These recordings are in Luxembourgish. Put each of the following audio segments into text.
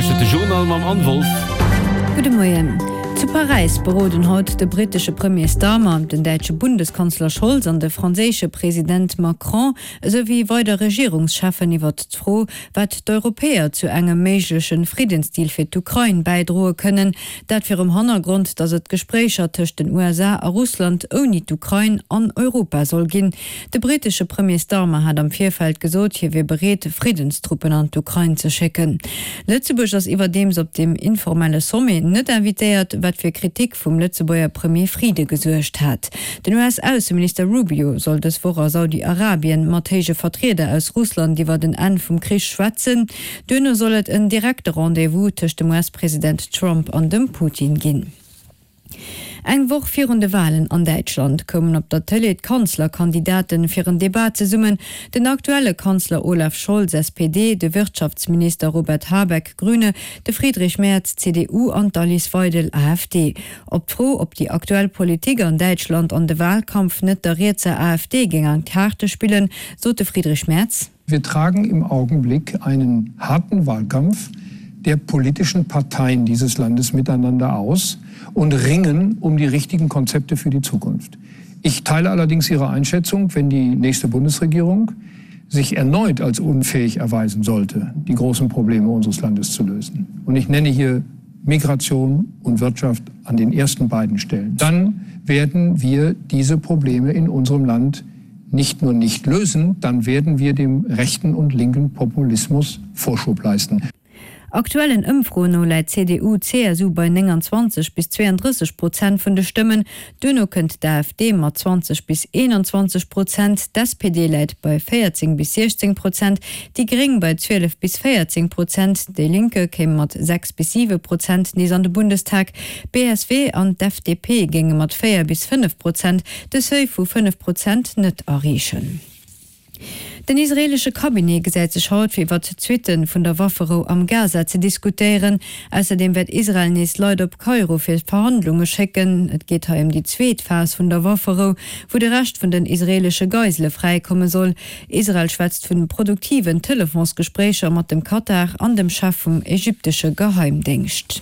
Lauschtert de Journal mam Anne Wolff. Gudde Moien. Zu Paräis beroden haut de brittesche Premier Starmer, den däitsche Bundeskanzler Scholz an de franséische President Macron esou wéi weider Regierungscheffen iwwert d'Fro, wat d'Europäer zu engem méigleche Friddensdeal fir d'Ukrain bäidroe kënnen. Dat virum Hannergrond, datt et Gespréicher tëscht den USA a Russland ouni d'Ukrain an Europa soll ginn. De brittesche Premier Starmer hat am Virfeld gesot, hie wier bereet, Friddenstruppen an d'Ukrain ze schécken. Lëtzebuerg ass iwwerdeems op deem informelle Sommet net invitéiert, wat fir Kritik vum Lëtzebuerger Premier Frieden gesuergt hat. Den US-Ausseminister Rubio soll dës Woch a Saudi-Arabien mat héije Vertrieder aus Russland iwwert en Enn vum Krich schwätzen. Duerno soll et en direkte Rendez-vous tëscht dem US-President Trump an dem Putin ginn. Eng Woch virun de Walen an Däitschland koumen op der Tëlee d'Kanzlerkandidaten fir en Debat zesummen, den aktuelle Kanzler Olaf Scholz, SPD, de Wirtschaftsminister Robert Habeck, Grüne, de Friedrich Merz, CDU, an d'Alice Weidel, AfD. Op d'Fro, ob déi aktuell Politik an Däitschland an de Walkampf net der rietser AfD géing an d'Kaarte spillen, sot de Friedrich Merz. Wir tragen im Augenblick einen harten Wahlkampf der politischen Parteien dieses Landes miteinander aus und ringen um die richtigen Konzepte für die Zukunft. Ich teile allerdings Ihre Einschätzung, wenn die nächste Bundesregierung sich erneut als unfähig erweisen sollte, die großen Probleme unseres Landes zu lösen. Und ich nenne hier Migration und Wirtschaft an den ersten beiden Stellen. Dann werden wir diese Probleme in unserem Land nicht nur nicht lösen, dann werden wir dem rechten und linken Populismus Vorschub leisten. Aktuellen Ëmfroen no läit d'CDU-CSU bei 29 bis 32 Prozent vun de Stëmmen, duerno kënnt d'AfD mat 20 bis 21 Prozent, d'SPD läit bei 14 bis 16 Prozent, déi Gréng bei 12 bis 14 Prozent, déi Linke kéim mat 6 bis 7 Prozent nees an de Bundestag, d'BSW an d'FDP géinge mat 4 bis 5 Prozent de Seuil vu 5 Prozent net erreechen. Den israeelesche Cabinet gesäit sech haut, fir iwwert d'Suitte vun der Wafferou am Gaza ze diskutéieren. Ausserdeem wäert Israel nees Leit op Kairo fir Verhandlunge schécken. Et geet hei ëm déi zweet Phas vun der Wafferou, wou de Rescht vun den israeelesche Geisele fräikomme soll. Israel schwätzt vun produktiven Telefonsgespréicher mat dem Katar an dem Chef vum ägyptesche Geheimdéngscht.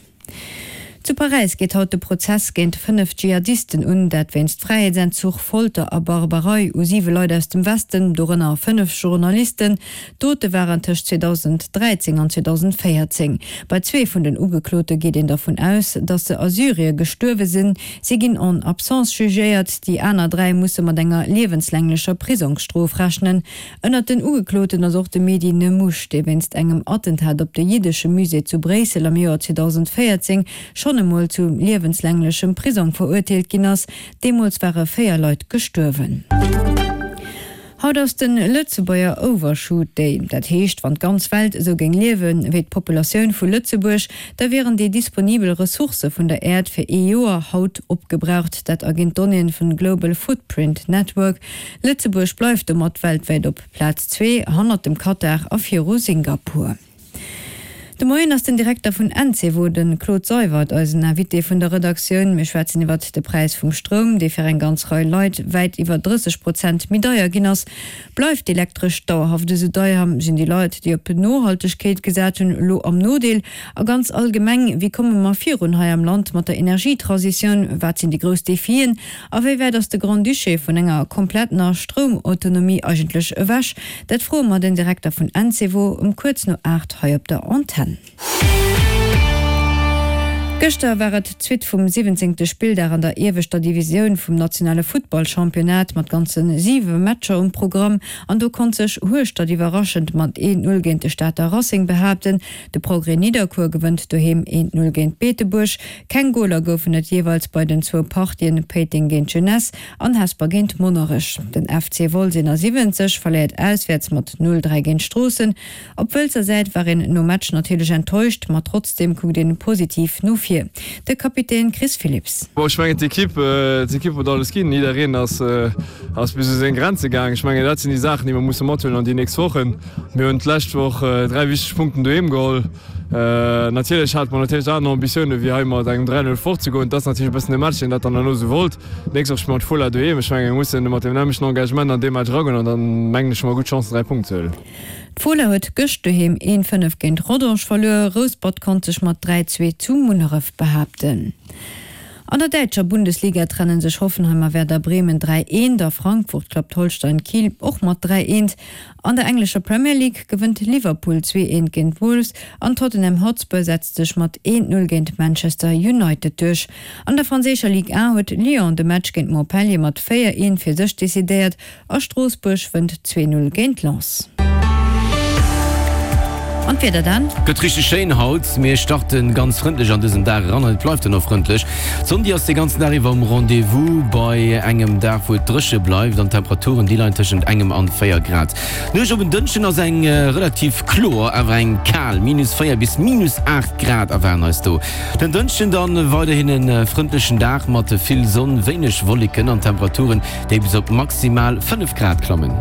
Zu Paräis geet haut de Prozess géint 5 Dschihadisten un, dat wéinst Fräiheetsentzuch, Folter a Barbarei u siwe Leit aus dem Westen, dorënner 5 Journalisten. D'Dote waren tëscht 2013 an 2014. Bei zwee vun den Ugeklote geet een dervun aus, datt se a Syrie gestuerwe sinn. Si ginn en absence jugéiert. Déi aner 3 musse mat enger liewenslänglecher Prisongsstrof rechnen. Ënnert den Ugekloten ass och de Mehdi Nemmouche, dee wéinst engem Attentat op de jiddesche Musée zu Bréissel am Joer 2014 schonn emol zu liewenslänglechem Prisong verurteelt ginn ass. Deemools ware 4 Leit gestuerwen. Haut ass de Lëtzebuerger Overshoot Day. Dat heescht, wann d'ganz Welt esou géing liewen, wéi d'Populatioun vu Lëtzebuerg, da wieren déi disponibel Ressourcë vun der Äerd fir ee Joer haut opgebraucht. Dat erginn d'Donnéeën vun Global Footprint Network. Lëtzebuerg bleift domat weltwäit op Plaz 2, hannert dem Katar a viru Singapur. De Moien ass den Direkter vun Encevo, de Claude Seywert, eisen Invité vun der Redaktioun. Mir schwätzen iwwert de Präis vum Stroum, dee fir eng ganz Rei Leit wäit iwwer 30 Prozent méi deier ginn ass. Bleift d'Elektresch dauerhaft esou deier? Sinn déi Leit, déi op Nohaltegkeet gesat hunn, elo am Nodeel? A ganz allgemeng, wéi komme mer virun hei am Land mat der Energietransitioun? Wat sinn déi grouss Defien? A wéi wäit ass de Grand-Duché vun enger komplettener Stroumautonomie eigentlech ewech? Dat froe mer den Direkter vun Encevo um kuerz no 8 hei op der Antenn. Gëschter war et d'Suite vum 17. Spilldag an der ieweschter Divisioun vum nationale Futtballchampionnat mat ganze 7 Matcher um Programm. An do konnt sech Hueschtert iwwerraschend mat 1, 0 géint de Stater Racing behaapten. De Progrès Nidderkuer gewënnt doheem 1, 0 géint Beetebuerg. Keng Goler goufen et jeeweils bei den zwou Partien Péiteng géint Jeunesse an Hesper géint Monnerech. Den FC Wolz 71 verléiert auswäerts mat 0, 3 géint Stroossen. Op Wëlzer Säit war een nom Match natierlech enttäuscht, ma trotzdeem kuckt een positiv no vir. De Kapitän Chris Philipps. Bon, ech mengen d'Ekipp, d'Ekipp huet alles ginn. Jiddereen ass, ass bis u seng Grenze gaang. Ech mengen dat sinn déi Saachen, déi mer musse mathuelen an déi nächst Wochen. Mir hunn d'lescht Woch 3 wichteg Punkten doheem geholl. Natierlech hate mer natierlech aner Ambitioune wéi hei mat engem 3, 0 fortzegoen. Et ass natierlech e bëssen de Match, deen dat dann herno esou wollt. D'nächst Woch spille mer d'Fola doheem. Ech menge mir mussen mat deem nämmlechten Engagement an dee Match eragoen an dann mengen ech hu mer gutt Chancen 3 Punkten ze huelen. D'Fola huet gëscht doheem 1, 5 géint Rodange verluer. Rouspert konnt sech mat 3, 2 zu Munneref behaapten. An der däitscher Bundesliga trenne sech Hoffenheim a Werder Bremen 3, 1 a Frankfurt klappt Holstein Kiel och mat 3, 1. An der englescher Premier League gewënnt Liverpool 2, 1 géint Wolves an Tottenham Hotspur setzt sech mat 1, 0 géint Manchester United duerch. An der franséischer Ligue 1 huet Lyon de Match géint Montpellier mat 4, 1 fir sech decidéiert A Stroossbuerg wënnt 2, 0 géint Lens. An d'Wieder dann? Gëtt richteg schéin haut. Mir starten ganz frëndlech an dësen Dag eran an et bleift dann och frëndlech. D'Sonn déi ass de ganzen Dag iwwer um Rendez-vous bei engem Dag wou et dréche bleift an d'Temperaturen déi leien tëschent engem an 4 Grad. D'Nuecht op en Dënschden ass eng relativ kloer awer eng kal, minus 4 bis minus 8 Grad erwaarden eis do. Den Dënschden dann weiderhin e frëndlechen Dag mat vill Sonn, wéineg Wolleken an Temperaturen déi bis op maximal 5 Grad klammen.